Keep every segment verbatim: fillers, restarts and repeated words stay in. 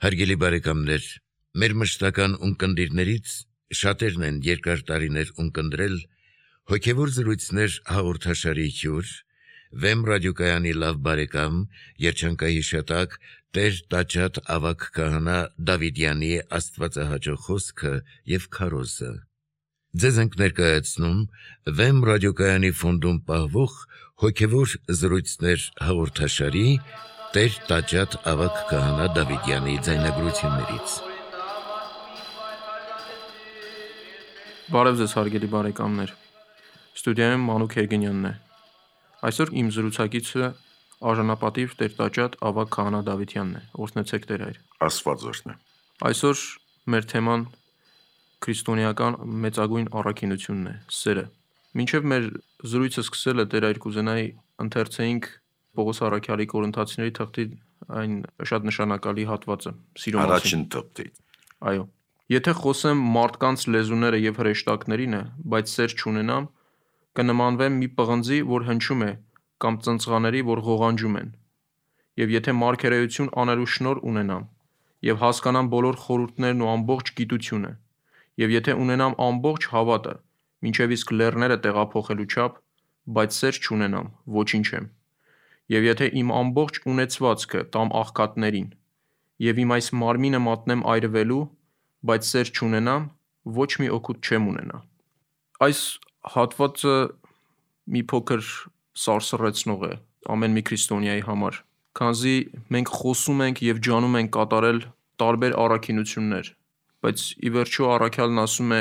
Հարգելի բարեկամներ, մեր մշտական ունկնդիրներից շատերն են երկար տարիներ ունկնդրել հոգևոր զրույցներ հաղորդաշարի հյուր, Վեմ ռադիոկայանի լավ բարեկամ, երջանկահիշատակ Տեր Տաճատ ավագ քահանա Դավիդյանի աստվածահաճո խոսքը և քարոզը։ Ձեզ ենք ներկայացնում Վեմ ռադիոկայանի ֆոնդում պահվող հոգևոր զրույցներ հաղորդաշարի Տեր Տաճատ ավագ քահանա Դավիդյանի ձայնագրություններից։ Բարև ձեզ հարգելի բարեկամներ, ստուդիայում Մանուկ Հերգենյանն է։ Այսօր իմ զրուցակիցը արժանապատիվ Տեր Տաճատ ավագ քահանա Դավիդյանն է, օրհնեցեք Տեր Հայր։ Աստված օրհնե։ Այսօր մեր թեման քրիստոնեական մեծագույն առաքինությունն է՝ սերը։ Մինչև մեր զրույցը սկսելը Տեր Հայր կուզենայի ընթերցեինք Պողոս առաքյալի Կորինթացիների թղթի այն շատ նշանակալի հատվածը, սիրո մասին։ Առաջին թղթի։ Այո։ Եթե խոսեմ մարդկանց լեզուները եւ հրեշտակներինը, բայց սեր չունենամ, կնմանվեմ մի պղնձի, որ հնչում է, կամ ծնծղաների, որ ղողանջում են։ Եվ եթե մարգարեություն անելու շնորհ ունենամ, եւ հասկանամ բոլոր խորհուրդներն ու ամբողջ գիտությունը, եւ եթե ունենամ ամբողջ հավատը, մինչև իսկ լեռները տեղափոխելու չափ, բայց սեր չունենամ, ոչինչ եմ։ Եվ եթե իմ ամբողջ ունեցվածքը տամ աղքատներին, եւ իմ այս մարմինը մատնեմ այրվելու, բայց սեր չունենամ, ոչ մի օգուտ չեմ ունենա։ Այս հատվածը մի փոքր սարսռեցնող է ամեն մի քրիստոնյայի համար, քանզի մենք խոսում ենք եւ ջանում ենք կատարել տարբեր առաքինություններ, բայց ի վերջո առաքյալն ասում է,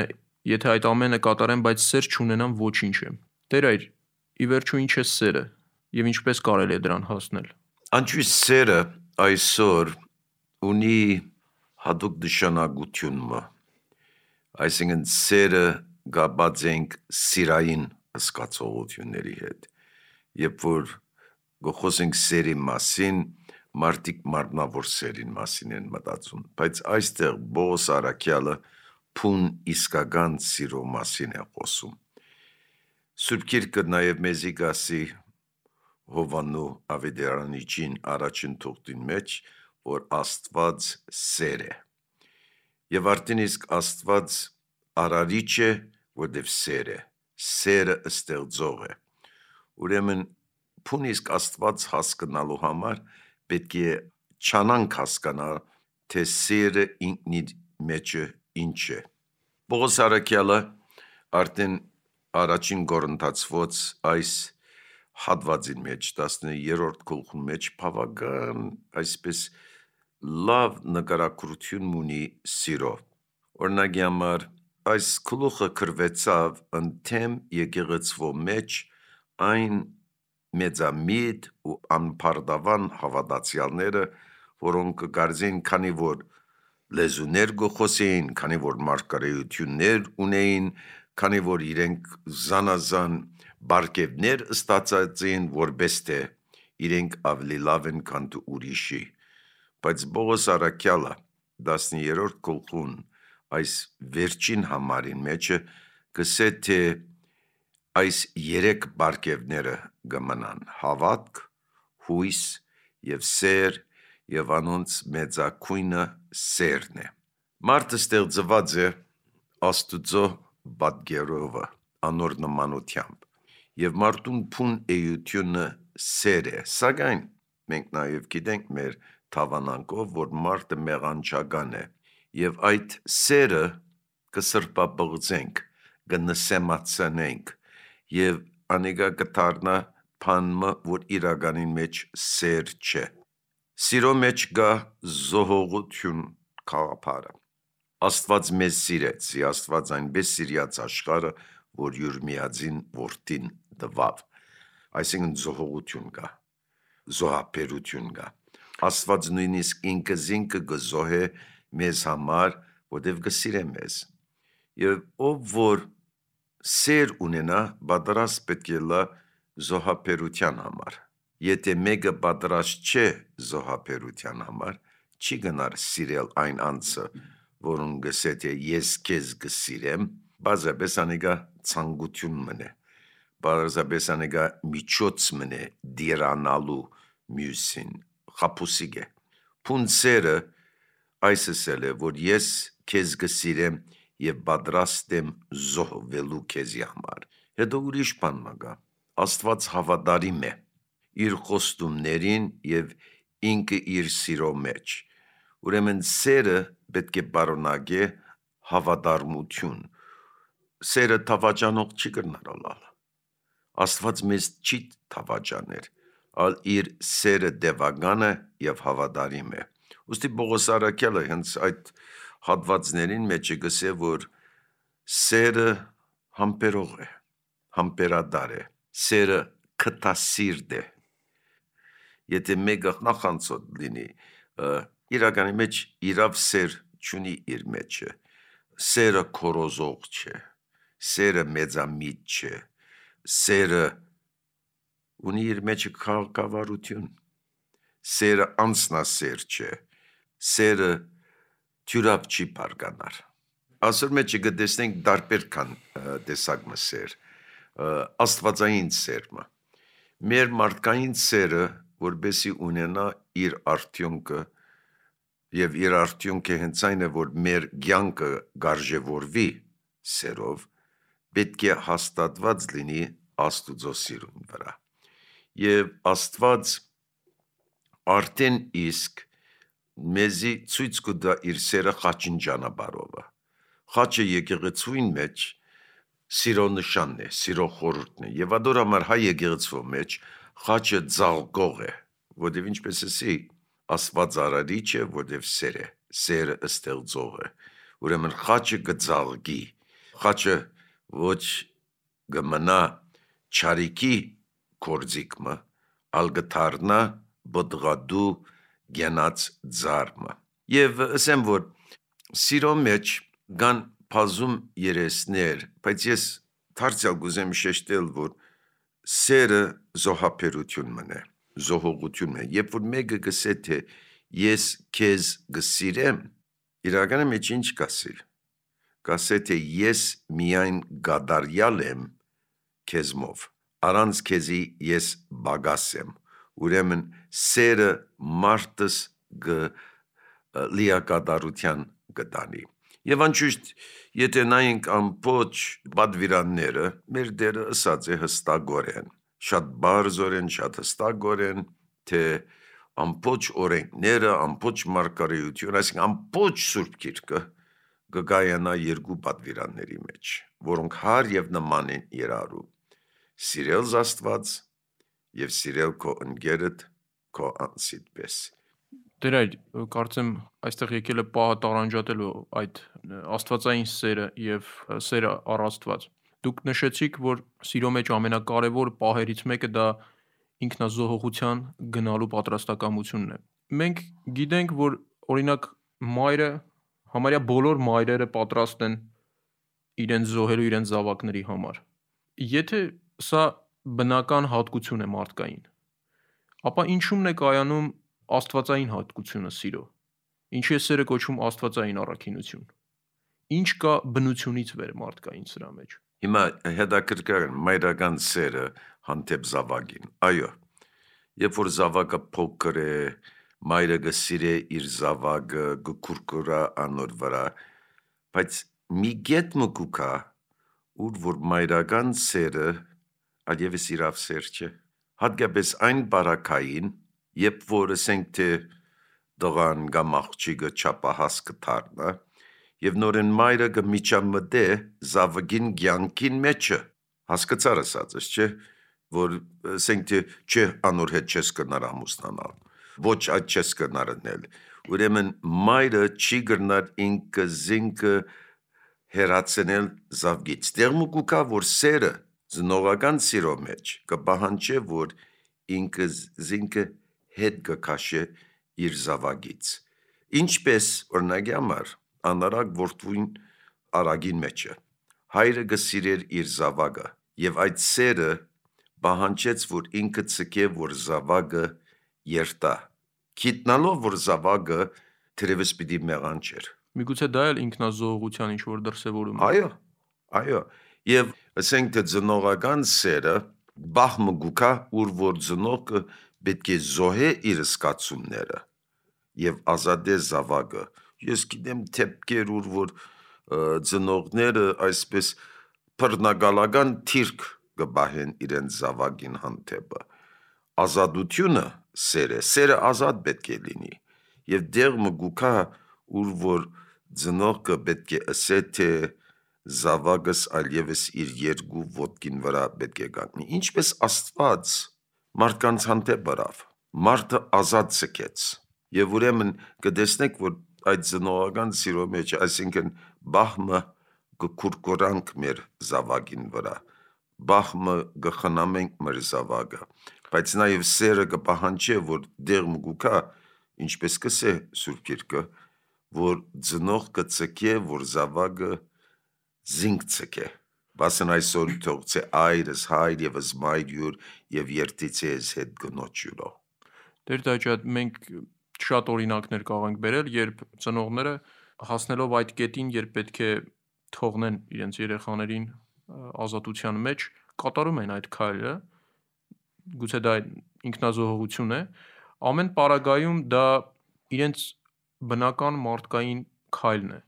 եթե այդ ամենը կատարեմ, բայց սեր չունենամ, ոչինչ եմ։ Տեր Հայր, ի վերջո ինչ է սերը եւ ինչպես կարելի է դրան հասնել։ Անչուի սերը այսօր ունի հատուկ նշանակություն, այսինքն սերը գաբած ենք սիրային զգացողությունների հետ։ Երբ որ խոսենք սերի մասին, մարդիկ մարմնավոր սերին մասին են մտածում, բայց այստեղ Պողոս առաքյալը փուն իսկական սիրո մասին է խոսում։ Սուրբ Գիրքը նաև մեզի գասի Հովանու Ավետարանիչին առաջին թողտին մեջ, որ Աստված սեր է։ Եվ արդեն իսկ Աստված արարիչ է, որտև սեր է, սերը ստեղծող է։ Ուրեմն փուն իսկ Աստված հասկանալու համար պետք է չանանք հասկանալ, թե սերը ինքնի մեջը ինչ է։ Պողոս առաքյալը արդեն առաջին Կորինթացոց այս հատվածին մեջ, տասներորդ գլխի մեջ բավական այսպես լավ նկարագրություն ունի սիրո։ Օրինակի համար այս գլուխը գրվեցավ ընդդեմ եկեղեցվո մեջ այն մեծամիտ ու անփարդավան հավատացյալները, որոնք կարծեն, քանի որ լեզուներ գոխոսեին, քանի որ մարգարեություններ ունեին, քանի որ իրենք զանազան բարգևներ ստացած են, որպես թե իրենք ավելի լավ են, քան դու ուրիշի։ Բայց Պողոս առաքյալը տասներորդ գլխուն այս վերջին համարին մեջը գսե թե այս երեք բարգևները կմնան՝ հավատք, հույս եւ սեր, եւ անոնց մեծագույնը սերն է։ Մարդը ստեղծված է Աստուծո պատկերով, անոր նմանությամբ, եւ մարդուն փուն էությունը սեր է, սակայն մենք նաեւ գիտենք մեր թավանանքով, որ մարդը մեղանչական է, եւ այդ սերը կսրբաբղծենք, կնսեմացնենք, եւ անիկա կդառնա բանը, որ իրականին մեջ սեր չէ։ Սիրո մեջ կա զոհողություն գաղափարը։ Աստված մեզ սիրեց, Աստված այնպես սիրած աշխարհը, որ յուր միածին որդին տվավ։ Այսինքն զոհողություն կա, զոհաբերություն կա։ Աստված նույնիսկ ինքը զինքը կզոհե մեզ համար, որտև կսիրե մեզ։ Եվ ով որ սեր ունենա, պատրաստ պետք է լա զոհաբերության համար։ Եթե մեկը պատրաստ չէ զոհաբերության համար, չի գնար սիրել այն անձը, որուն գսե թե ես քեզ կսիրեմ, բազապես անիկա ցանկություն մնե, բազապես անիկա միջոց մնե դիրանալու մյուսին, խապուսիկ է։ Փուն սերը այս ասել է, որ ես քեզ կսիրեմ եւ պատրաստ եմ զոհվելու քեզի համար։ Հետո ուրիշ բան մագա։ Աստված հավատարիմ է իր խոստումներին եւ ինքը իր սիրո մեջ։ Ուրեմն սերը պետք է բարոնագե հավատարմություն։ Սերը թավաճանող չի կրնարալալ։ Աստված մեզ չի թավաճաներ, ալ իր սերը դևագանը եւ հավատարիմ է։ Ոստի Պողոս առաքյալը հենց այդ հատվածներին մեջ է գսե, որ սերը համբերող է, համբերադար է, սերը կտասիրտ է։ Եթե մեկը նախանցոտ լինի, իրականի մեջ իրավ սեր չունի իր մեջը, սերը քորոզող չէ, սերը մեծամիտ չէ, սերը ունի իր մեջը քաղաքավարություն, սերը անձնասեր չէ, սերը թյուրապ չի բարգանար։ Ասոր մեջը գտեսնենք դարբեր կան տեսակը սեր, աստվածային սերմը։ Մեր մարդկային սերը, որբեսի ունենա իր արդյունքը, եւ իր արդյունքը հենց այն է, որ մեր կյանքը գարժևորվի սերով, պետք է հաստատված լինի Աստուծո սիրուն վրա։ Եվ Աստված արդեն իսկ մեզի ցույց կտա իր սերը խաչին ճանապարհովը։ Խաչը եկեղեցուին մեջ սիրո նշանն է, սիրո խորհուրդն է։ Եվ ադոր համար հայ եկեղեցու մեջ խաչը ձաղկող է, որտեղ ինչպես էսի Աստված արարիչ է, որտեղ սեր է, սերը ստեղծող է։ Ուրեմն խաչը կձաղկի, խաչը ոչ կմնա չարիքի կորձիկմը, ալ կդառնա բդղադու գենած ձարմը։ Եվ ասեմ, որ սիրո մեջ կան բազում երեսներ, բայց ես դարձյալ կուզեմ շեշտել, որ սերը զոհաբերություն է, զոհողություն է։ Երբ որ մեկը գսե թե ես քեզ կսիրեմ, իրականում մեջ ինչ կասի։ Կասե թե ես միայն գադարյալ եմ քեզմով, առանց քեզի ես բագաս եմ։ Ուրեմն սերը մարդս լիակատարության կտանի։ Եվ անշուշտ, եթե նայենք ամբողջ պատվիրանները, մեր դերը ըսած է հստակորեն, շատ բարձորեն, շատ հստակորեն, թե ամբողջ օրենքները, ամբողջ մարգարեությունը, այսինքն ամբողջ Սուրբ Գիրքը կգայանա երկու պատվիրանների մեջ, որոնք հար եւ նման են իրարու։ Սիրել Աստված եւ սիրել քո ընկերդ քո անձիդ պես։ Դեր այդ կարծեմ այստեղ եկել է պահը տարանջատելու այդ աստվածային սերը եւ սերը առ Աստված։ Դուք նշեցիք, որ սիրո մեջ ամենակարևոր պահերից մեկը դա ինքնազոհողության գնալու պատրաստակամությունն է։ Մենք գիտենք, որ օրինակ մայրը, համարյա բոլոր մայրերը պատրաստ են իրենց զոհելու իրենց զավակների համար։ Եթե սա բնական հատկություն է մարդկային, ապա ինչու՞մն է կայանում աստվածային հատկությունը սիրո։ Ինչի է սերը կոչվում աստվածային առաքինություն։ Ինչ կա բնությունից վեր մարդկային սրա մեջ։ Հիմա հետաքրքիր մայրական սերը հանդեպ զավակին։ Այո, երբ որ զավակը փոքր է, մայրը կսիրե իր զավակը, կքուրքուրա անոր վրա, բայց մի գետ մկուկա, ուր որ մայրական սերը այլևս իրավ սեր չէ։ Հատկապես այն բարակային, երբ որ ասենք թե դղան կամ աղջիկը չափահաս կդառնա, եւ նորեն մայրը կմիջամտե զավակին կյանքին մեջը, հասկացար ասածս, չէ, որ ասենք թե չէ անոր հետ չես կնար ամուսնանալ, ոչ այդ չես կնար անել։ Ուրեմն մայրը չի կրնար ինքը զինքը հերացնել զավգից։ Դերմու կուկա, որ սերը զնողական սիրո մեջ կպահանջե, որ ինքը զինքը հետ կքաշե իր զավագից։ Ինչպես օրինակի համար անարակ որդվին արագին մեջը։ Հայրը կսիրեր իր զավակը, եւ այդ սերը պահանջեց, որ ինքը ցկե, որ զավակը երթա։ Գիտնալով, որ զավակը թերևս պիտի մեղանչեր։ Միգուցե դա էլ ինքնազոհողության ինչ որ դրսևորում է։ Այո, այո։ Եվ ասենք թե ծնողական սերը բախմը գուկա, ուր որ ծնողը պետք է զոհե իր սկացումները եւ ազատե զավակը։ ես գիտեմ թեփքեր, ուր որ ծնողները այսպես բռնագալական թիրք կբահեն իրենց զավակին հանդեպը։ Ազատությունը սեր է, սերը ազատ պետք է լինի, եւ դեղ մգուկա, ուր որ ծնողքը պետք է ասե, թե զավակս այլևս իր երկու ոտքին վրա պետք է կանգնի, ինչպես Աստված մարդկանց հանդեպ բրավ, մարդը ազատ ցկեց, եւ ուրեմն կտեսնեք, որ այդ ծնողական սիրո մեջ, այսինքն բահմը կկուրկուրանք մեր զավակին վրա, բահմը կխնամենք մեր զավակը, բայց նաեւ սերը կպահանջի, որ դեղ մգուկա, ինչպես կսե Սուրբ Գիրքը, որ ծնող կցկե, որ զավակը զինք ցկե, բասն այսօր թողցե այրս հայր եւս մայր եւ երթիցե ես հետ գնոջ յուրո։ Տեր Տաճատ, մենք շատ օրինակներ կարող ենք բերել, երբ ծնողները հասնելով այդ կետին, երբ պետք է թողնեն իրենց երեխաներին ազատության մեջ, կատարում են այդ քայլը, գուցե դա ինքնազոհողություն է, ամեն պարագայում դա իրենց բնական մարդկային քայլն է։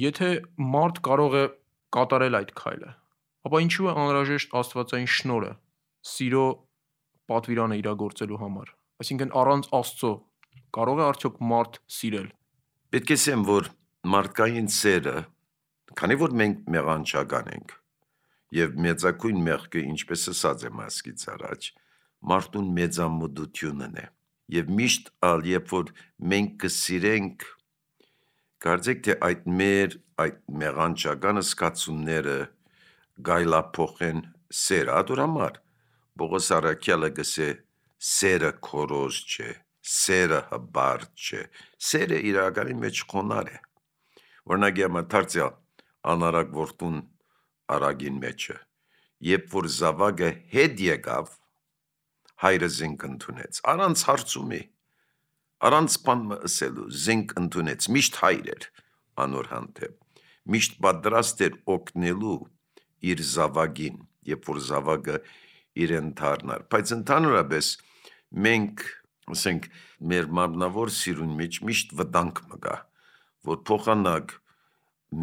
Եթե մարդ կարող է կատարել այդ քայլը, ապա ինչու է անհրաժեշտ աստվածային շնորհը, սիրո պատվիրանը իրագործելու համար։ Այսինքն առանց Աստծո կարող է արդյոք մարդ սիրել։ Պետք է ասեմ, որ մարդկային սերը, քանի որ մենք մեղանչական ենք, եւ մեծակույն մեղքը, ինչպես ասած եմ ասկից առաջ, մարդուն մեծամտությունն է, եւ միշտ ալ երբ որ մենք կսիրենք, կարծեք թե այդ մեր այդ մեղանչական զգացումները գայլափոխեն սեր, ադորամար Պողոս առաքյալը գսե սերը քորոզ չէ, սերը հբարտ չէ, սերը իրականի մեջ խոնար է, օրինակ դարձյալ անարակ որդուն արագին մեջը, երբ որ զավակը հետ եկավ, հայրը զինք ընդունեց, առանց հարցումի, առանց բան ասելու, զինք ընդունեց, միշտ հայր էր անոր հանդեպ, միշտ պատրաստ էր օգնելու իր զավակին, երբ որ զավակը իրեն դառնար, բայց ընդհանրապես մենք, ասենք, մեր մարմնավոր սիրուն մեջ միշտ վտանգ մգա, որ փոխանակ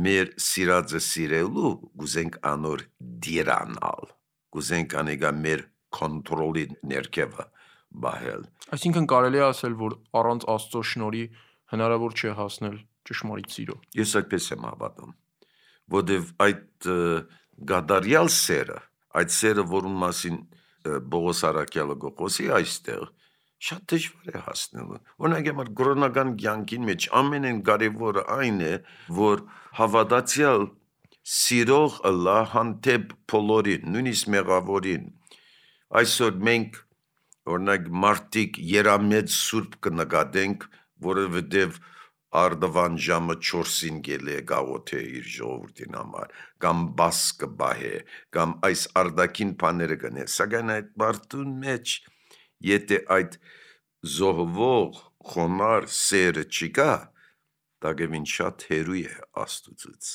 մեր սիրածը սիրելու, գուզենք անոր դիրանալ, գուզենք անեգա մեր կոնտրոլի ներքևը բահել։ Այսինքն կարելի է ասել, որ առանց Աստծո շնորհի հնարավոր չէ հասնել ճշմարիտ սիրո։ Ես այդպես եմ հավատում, որովհետև այդ գադարյալ սերը, այդ սերը, որում մասին Պողոս առաքյալը գոհոսի այստեղ, շատ դժվար է հասնելու։ Օրինակ համար կրոնական կյանքին մեջ ամենեն կարևորը այն է, որ հավատացյալ սիրող ըլլա հանդեպ բոլորին, նույնիսկ մեղավորին։ Այսօր մենք օրինակ մարդիկ երամեծ սուրբ կնկատենք, որովհետև արդվան ժամը չորսին գել է գաղոթե իր ժողովրդին համար, կամ բաս կբահե, կամ այս արդակին բաները կնե, սակայն այդ մարդուն մեջ, եթե այդ զոհվող խոնար սերը չկա, դակևին շատ հերույ է Աստուծուց։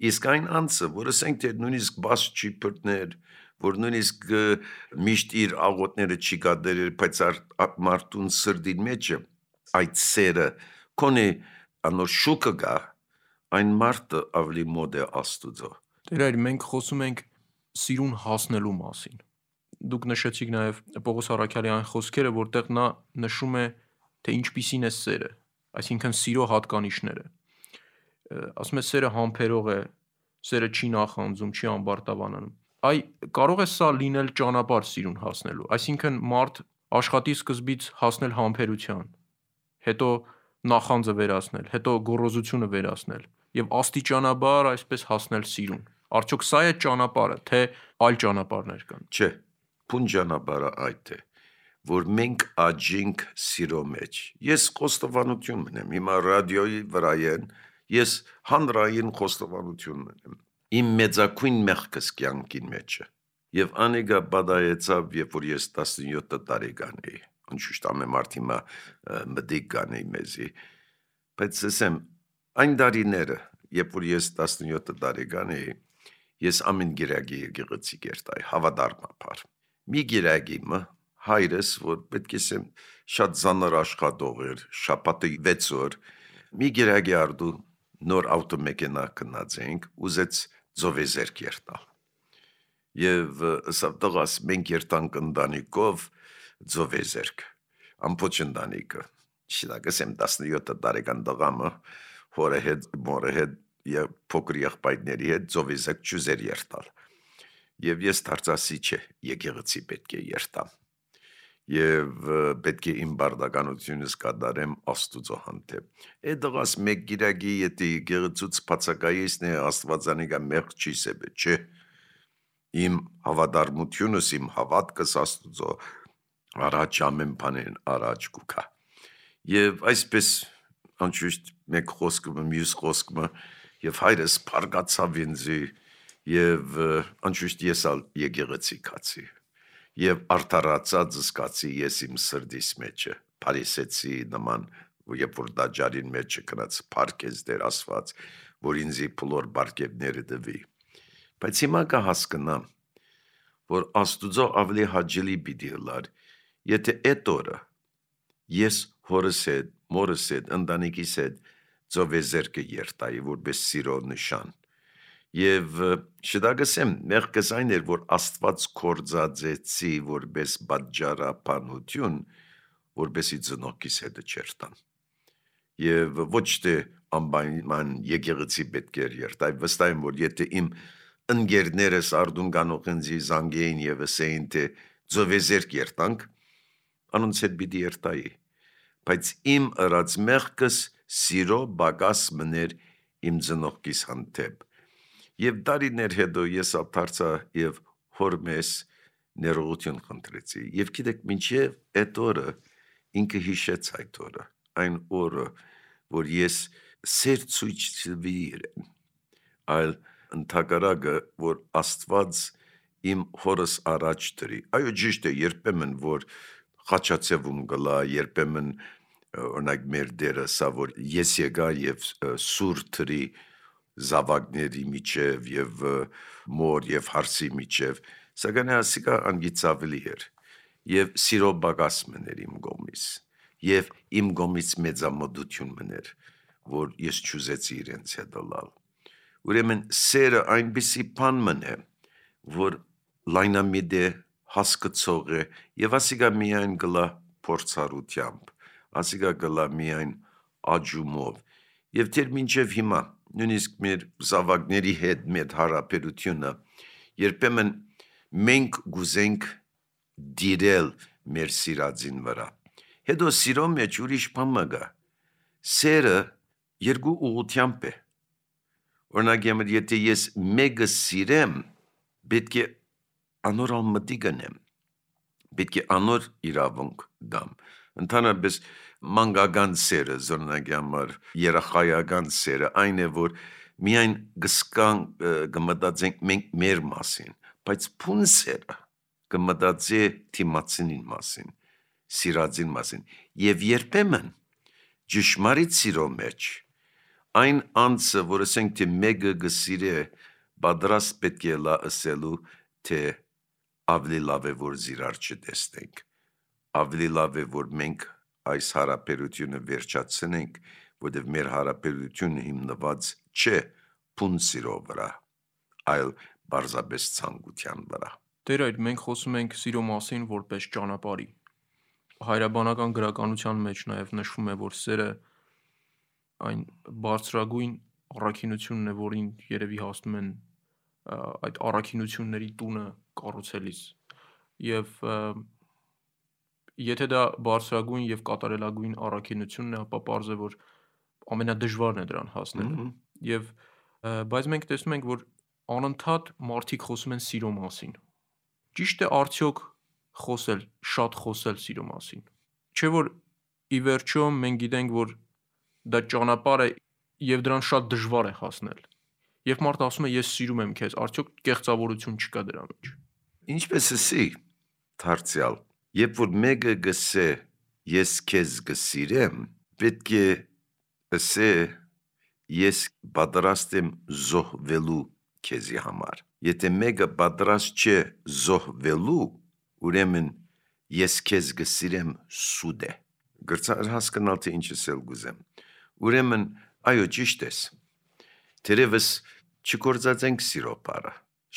Իսկ այն անձը, որ ասենք թե նույնիսկ բաս չի բռներ, որ նույնիսկ միշտ իր աղոթները չի կատարել, բայց մարդուն սրտին մեջը այդ սերը կոնե անոր շուկը գա, այն մարդը ավելի մոտ է Աստուծո։ Տեր այր, մենք խոսում ենք սիրուն հասնելու մասին։ Դուք նշեցիք նաև Պողոս առաքյալի այն խոսքերը, որտեղ նա նշում է, թե ինչպիսին է սերը, այսինքն սիրո հատկանիշները։ Ասում է սերը համբերող է, սերը չի նախանձում, չի ամբարտավանանում։ Այ կարող է սա լինել ճանապարհ սիրուն հասնելու, այսինքն մարդ աշխատի սկզբից հասնել համբերության, հետո նախանձը վերացնել, հետո գոռոզությունը վերացնել եւ աստիճանաբար այսպես հասնել սիրուն։ Արդյոք սա է ճանապարհը, թե այլ ճանապարհներ կան։ Չէ, փուն ճանապարհը այդ է, որ մենք աճենք սիրո մեջ։ Ես խոստովանություն ունեմ, հիմա ռադիոյի վրա են, ես հանրային խոստովանություն ունեմ։ Իմ մեծակույն մեղքս կյանքին մեջը։ Եվ անեգա բադայեցավ, երբ որ ես տասնյոթ տարեկան էի, անշուշտ ամեն մարդ հիմա մտիկ կանեի մեզի, բայց ասեմ, այն տարիները, երբ որ ես տասնյոթ տարեկան էի, ես ամեն գիրագի եկեղեցի կերտայ, հավատարմաբար։ Մի գիրագիմը հայրս, որ պետք է ասեմ շատ ծանր աշխատող էր, շաբաթը վեց օր մի գերագի արդու նոր ավտոմեքենա կնած ենք, ուզեց ձովեզերք երտալ։ Եվ սավ տղաս մենք երտանք ընտանիքով ձովեզերք, ամպոչ ընտանիքը, շինակսեմ տասնյոթ տարեկան տղամը, հորը հետ, մորը հետ և փոքր եղբայրների հետ ձովեզերք չուզեր երտալ։ Եվ ես դարձասի չէ, եկեղեցի պետք է երտամ։ Եվ պետք է իմ բարդականությունս կատարեմ Աստուծո հանդեպ։ Այդ դղաս մեկ գիրագի եթե եկեղեցուց բացակայեսն է Աստվածանիկա մեղք չի սեբե, չէ։ Իմ հավատարմությունս, իմ հավատքս Աստուծո առաջ ամեն բանին առաջ կուքա։ Եվ այսպես անշուշտ մեկ խոսքը մյուս խոսքը եւ հայրս փարգացավ ինձի եւ անշուշտ ես ալ եկեղեցի կացի եւ արդարացած զգացի ես իմ սրտիս մեջը փարիսեցի նման երբ որ դաջարին մեջը կնած փարքես դեր ասված որ ինձի փլոր բարգևները դվի բայց հիմա կհասկնամ որ Աստուծո ավելի հաճելի պիտի լար եթե այդ օրը ես հորս հետ մորս հետ ընտանիքիս հետ ձովեզերքը երտայի որպես սիրո նշան եւ շտագսեմ մեղքս այն էր որ Աստված կորձածեցի որպես պատճառաբանություն որպեսի ծնողքիս հետը չերտան եւ ոչ թե անպայման եկեղեցի պետք է երտայ վստահ եմ որ եթե իմ ընկերներս արդուն կանողենցի զանգեին եւ ասեին թե ձովեզերք երտանք անոնց հետ պիտի երտայի բայց իմ ըրած մեղքս սիրո բագաս մներ իմ ծնողքիս հանդեպ եւ դարիներ հետո ես ադարձա եւ հոր մեզ ներողություն խնդրեցի եւ գիտեք մինչեւ այդ օրը ինքը հիշեց այդ օրը այն օրը որ ես սեր ցույց տվի իրեն այլ ընդհակառակը որ Աստված իմ հորս առաջ դրի այո ճիշտ է երբեմն որ խաչացևում գլա երբեմն օրինակ մեր դերը սա որ ես եկա եւ սուր թրի զավակների միջև եւ մոր եւ հարսի միջև սակայն ասիկա անգիծավելի էր եւ սիրո բագաս մներ իմ գոմիս եւ իմ գոմից մեծամտություն մներ որ ես չուզեցի իրենց հետ լալ ուրեմն սերը այնպիսի բան մնե որ լայնամիտ է հասկացող է եւ ասիկա միայն գլա փորձառությամբ ասիկա գլա միայն աջումով եւ դեր մինչեւ հիմա նույնիսկ մեր զավակների հետ մեր հարաբերությունը երբեմն մենք գուզենք դիրել մեր սիրածին վրա հետո սիրո մեջ ուրիշ բան մգա սերը երկու ուղղությամբ է օրինակ եթե ես մեկը սիրեմ պետք է անոր մտի գնեմ պետք է անոր իրավունք դամ ընդհանրապես մանկական սերը զորնագի համար երախայական սերը այն է որ միայն գսկան գմտածենք մենք մեր մասին բայց փուն սերը գմտածե թիմացին մասին սիրածին մասին եւ երբեմն ճշմարիտ սիրո մեջ այն անձը որ ասենք թե մեկը գսիրե պատրաստ պետք է լա ասելու թե ավելի լավ է որ զիրար չտեսնենք ավելի լավ է որ մենք այս հարաբերությունը վերջացնենք որտեղ մեր հարաբերությունը հիմնված չէ փուն սիրո վրա այլ բարձրապես ցանկության վրա Տեր այդ մենք խոսում ենք սիրո մասին որպես ճանապարհի հայրաբանական գրականության մեջ նաև նշվում է որ սերը այն բարձրագույն առաքինությունն է որին երևի հասնում են այդ առաքինությունների տունը կառուցելիս եւ եթե դա բարձրագույն եւ կատարելագույն առաքինությունն է ապա պարզ է որ ամենադժվարն է դրան հասնելը եւ բայց մենք տեսնում ենք որ անընդհատ մարդիկ խոսում են սիրո մասին ճիշտ է արդյոք խոսել շատ խոսել սիրո մասին չէ որ ի վերջո մենք գիտենք որ դա ճանապարհ է եւ դրան շատ դժվար է հասնել Երբ մարդը ասում է ես սիրում եմ քեզ, արդյոք կեղծավորություն չկա դրա մեջ։ Ինչպես էսի դարձյալ, երբ որ մեկը գսե ես քեզ գսիրեմ, պետք է ասե ես պատրաստ եմ զոհվելու քեզի համար։ Եթե մեկը պատրաստ չէ զոհվելու, ուրեմն ես քեզ գսիրեմ սուտ է։ Գրծար հասկանալ թե ինչ ասել գուզեմ։ Ուրեմն, այո, ճիշտ ես։ Թերևս չկործածենք սիրո բառը,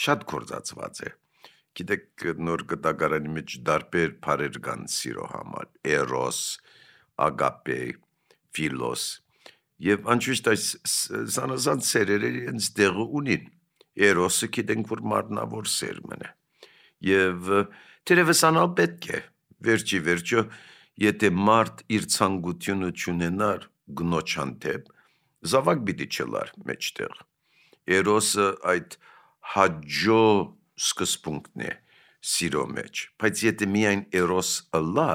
շատ կործածված է։ Գիտեք, նոր գտագարանի մեջ դարբեր բառեր կան սիրո համար՝ էրոս, ագապե, ֆիլոս, եւ անշուշտ այս զանազան սերերը իրենց տեղը ունին։ Էրոսը գիտենք, որ մարմնավոր սերմն է, եւ թերևս անալ պետք է, վերջի վերջո, եթե մարդ իր ցանկությունը չունենար գնոջ հանդեպ, զավակ պիտի չլար մեջտեղ։ Էրոսը այդ հաջո սկզբունքն է սիրո մեջ, բայց եթե միայն էրոս ըլլա,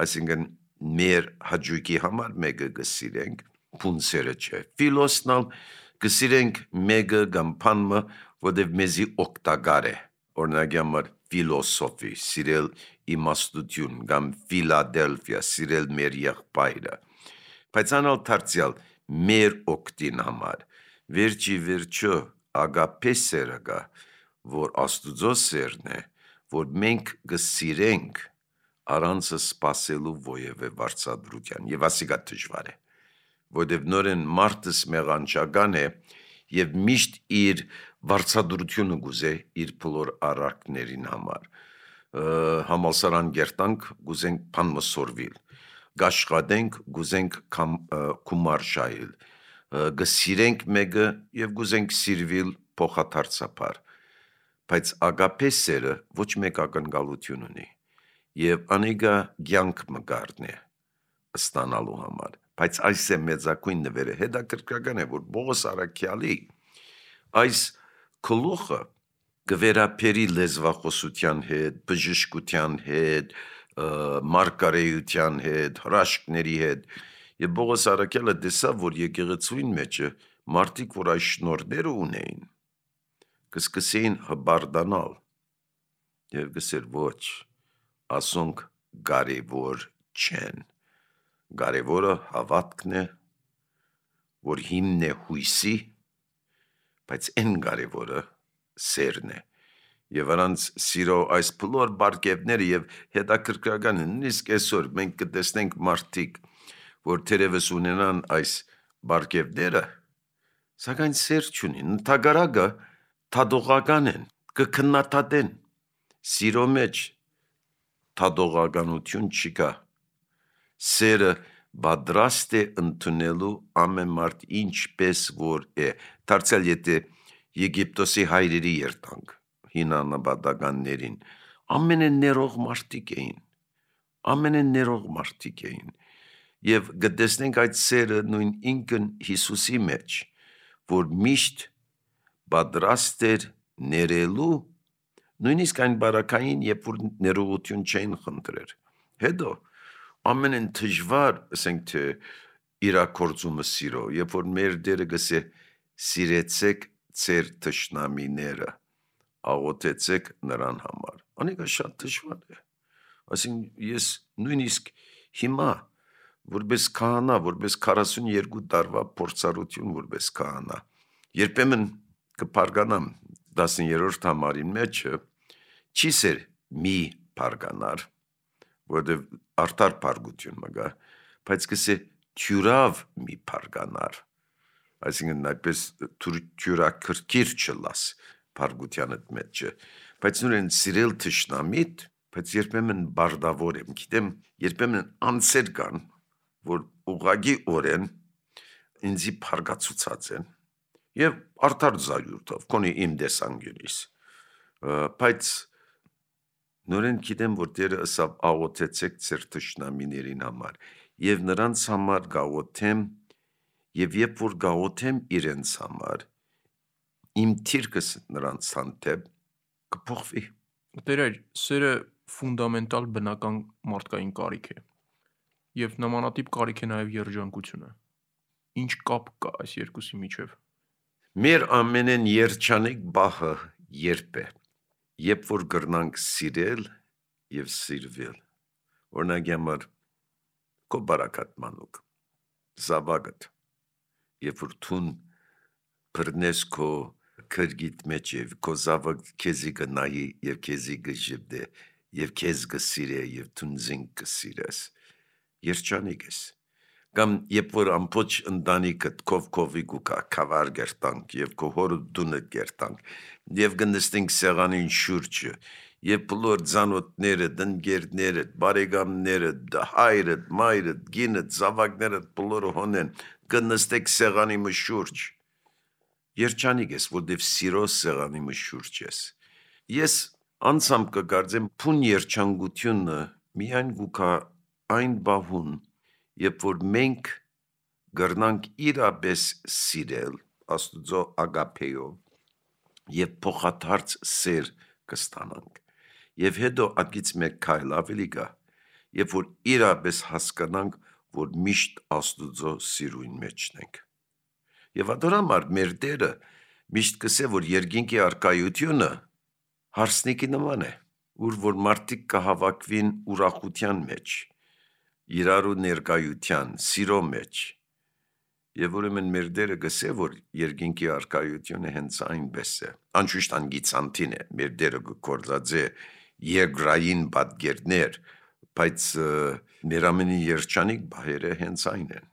այսինքն մեր հաջուկի համար մեկը կսիրենք, փունսերը չէ։ Ֆիլոսնալ կսիրենք մեկը կամ բանը, որտեղ մեզի օգտակար է։ Օրինակի համար ֆիլոսոֆի, սիրել իմաստություն, կամ Ֆիլադելֆիա, սիրել մեր եղբայրը։ Բայց անալ դարձյալ մեր օգտին համար, վերջի վերջո ագապե սերը կա, որ Աստուծո սերն է, որ մենք կսիրենք առանց սпасելու ովևէ վարձատրության, եւ ասիկա դժվար է, որտեղ նորեն մարդս մեղանչական է եւ միշտ իր վարձատրությունը գուզե իր բոլոր արարքներին համար։ Համալսարան գերտանք, գուզենք բան մսորվիլ, գաշխատենք, գուզենք կումար շայել, գսիրենք մեկը եւ գուզենք սիրվիլ փոխադարձաբար, բայց ագապե սերը ոչ մեկ ակնկալություն ունի եւ անիկա ցանկ մգարն է ստանալու համար, բայց այս է մեծակույն նվերը։ Հետաքրքրական է, որ Պողոս առաքյալի այս գլուխը գվերապերի լեզվախոսության հետ, բժշկության հետ, մարգարեության հետ, հրաշքների հետ, եւ Պողոս առաքյալը տեսավ, որ եկեղեցուին մեջը մարդիկ, որ այս շնորհները ունեին, կսկսեին հբարդանալ եւ գսեր ոչ, ասոնք կարևոր չեն։ Կարևորը հավատքն է, որ հիմն է հույսի, բայց այն կարևորը սերն է։ Եվ առանց սիրո այս բոլոր բարգևները եւ հետաքրքրական է, նույնիսկ այսօր մենք կտեսնենք մարդիկ, որ թերևս ունենան այս բարգևները, սակայն սեր չունին, ընդհակառակը թադողական են, կքննադատեն։ Սիրո մեջ թադողականություն չկա։ Սերը պատրաստ է ընդունելու ամեն մարդ ինչպես որ է։ Դարձյալ եթե Եգիպտոսի հայրերի երթանք, հինանաբատականներին, ամենաներող մարդիկ էին, ամենաներող մարդիկ էին, եւ գտեսնենք այդ սերը նույն ինքն Հիսուսի մեջ, որ միշտ պատրաստ էր ներելու, նույնիսկ այն բարակային, երբ որ ներողություն չէին խնդրեր։ Հետո ամենն դժվար, ասենք թե իրակորձումը սիրո, երբ որ մեր Տերը գսե սիրեցեք ձեր թշնամիները, աղոթեցեք նրան համար։ Անիկա շատ դժվար է։ Այսինքն ես նույնիսկ հիմա որպես քահանա, որպես քառասունյոթ տարվա փորձառություն որպես քահանա, երբեմն կփարգանամ տասներորդ համարին մեջը, չի սեր մի փարգանար, որտեղ արդար փարգություն մգա, բայց կսե թյուրավ մի փարգանար, այսինքն այդպես թյուրակրկիր չլաս փարգությանդ մեջը, բայց նույն սիրել թշնամիդ, բայց երբեմն բարդավոր եմ, գիտեմ, երբեմն անձեր կան, որ ուղղակի օրեն ինձի փարգացուցած են, եւ արդար զայուրդով, կոնի իմ դեսանգյունիս, բայց նորեն գիտեմ, որ Տերը ըսավ աղոթեցեք ձեր թշնամիներին համար, եւ նրանց համար գաղոթեմ, եւ երբ որ գաղոթեմ իրենց համար, իմ թիրքս նրանց հանդեպ կփոխվի։ Տերեր, սերը ֆունդամենտալ բնական մարդկային կարիք է, եւ նմանատիպ կարիք է նաեւ երջանկությունը։ Ինչ կապ կա այս երկուսի միջև։ Մեր ամենեն երջանիկ բահը երբ է, երբ որ գրնանք սիրել եւ սիրվել։ Օրինակի համար քո բարակատ մանուկ, զավակդ, երբ որ թուն բռնես քո քրգիտ մեջ եւ քո զավակ քեզի կնայի եւ քեզի կժպտե եւ քեզ կսիրե եւ թուն զինք կսիրես, երջանիկ ես, Կամ երբ որ ամբողջ ընտանիքդ կով-կովի գուկա կավար գերտանք եւ քո հորը դունը գերտանք եւ գնստենք սեղանին շուրջը եւ բոլոր ցանոթները, դնգերները, բարեկամները, հայրը, մայրը, գինը, զավակները բոլորը հոնեն գնստեք սեղանի մը շուրջ երջանիկ ես որտեվ սիրո սեղանի մը շուրջ ես ես անցամ կգարձեմ փուն երջանկությունը միայն գուկա այն բահուն երբ որ մենք գրնանք իրապես սիրել աստուծո ագապեով եւ փոխադարձ սեր կստանանք եւ հետո ագից մեկ քայլ ավելի գա երբ որ իրապես հասկանանք որ միշտ աստուծո սիրույն մեջն ենք եւ adorամար մեր Տերը միշտ կսե որ երկինքի արքայությունը հարսնիկի նման է ուր որ մարդիկ կհավաքվին ուրախության մեջ իրարու ներկայության սիրո մեջ եւ ուրեմն մեր Տերը գսե որ երկինքի արքայությունը հենց այնպես է անշուշտ անգիցանտին է մեր Տերը գործածե երկրային պատգերներ բայց մեր ամենի երջանիկ բահերը հենց այն են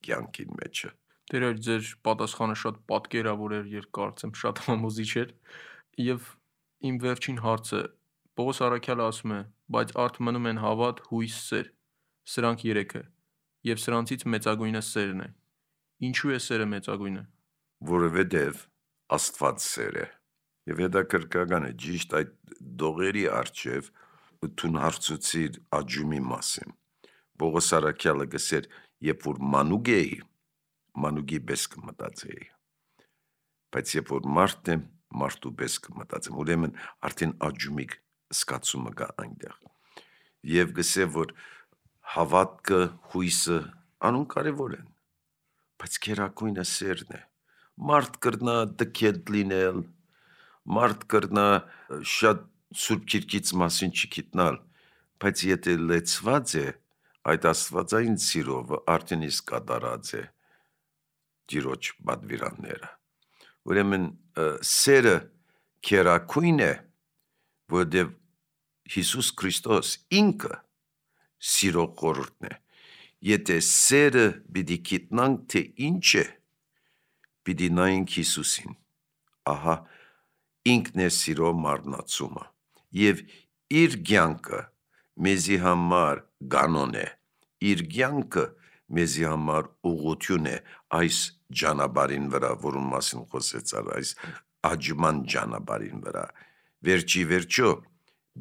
կյանքին մեջը Տեր ձեր պատասխանը շատ պատկերավոր էր երկարծեմ շատ համոզիչ էր եւ իմ վերջին հարցը Պողոս Առաքյալը ասում է բայց արդ մնում են հավատ հույս սեր Սրանք երեքը եւ սրանցից մեծագույնը սերն է Ինչու է սերը մեծագույնը որովհետեւ Աստված սեր է եւ հետաքրքրական է ճիշտ այդ դողերի արչեւ ութուն հարցուցիր աջումի մասին Պողոս Առաքյալը գսեր երբ որ մանուկ էի մանուկի պես կմտածեի բայց երբ որ մարդ եմ մարդու պես կմտածեմ ուրեմն արդեն աջումիկ սկացումը կա այնտեղ եւ գսե որ հավատքը հույսը անուն կարևոր են բայց քերակույնը սերն է մարդ կրնա դքետ լինել մարդ կրնա շատ սուրբ քիրքից մասին չգիտնալ բայց եթե լեցված է այդ աստվածային սիրով արդեն իսկ կատարած է Տիրոջ բադվիրանները ուրեմն սերը քերակույն է որովհետև Հիսուս Քրիստոս ինքը սիրո խորհուրդն է եթե սերը պիտի գիտնանք թե ինչ է պիտի նայենք Հիսուսին ահա ինքն է սիրո մարմնացումը եւ իր կյանքը մեզի համար կանոն է իր կյանքը մեզի համար ուղղություն է այս ճանապարհին վրա որում մասին խոսեցար այս աջման ճանապարհին վրա վերջի վերջո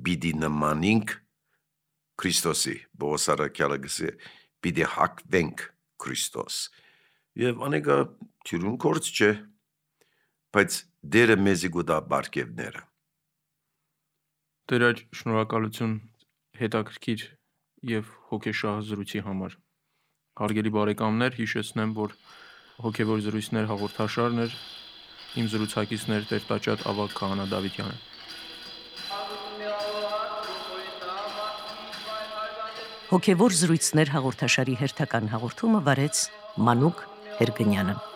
պիտի նմանենք Քրիստոսի Պողոս Առաքյալը գսե պիտի հակվենք Քրիստոս եւ անեկա թյուրուն կորց չէ բայց դերը մեզի գուտա բարգևները Տեր այր շնորհակալություն հետաքրքիր եւ հոգեշահ զրույցի համար Հարգելի բարեկամներ հիշեցնեմ որ հոգեվոր զրույցներ հաղորդաշարն էր իմ զրուցակիցն էր Տեր Տաճատ Ավագ Քահանա Դավիթյանը Հոգևոր զրույցներ հաղորդաշարի հերթական հաղորդումը վարեց Մանուկ Հերգնյանը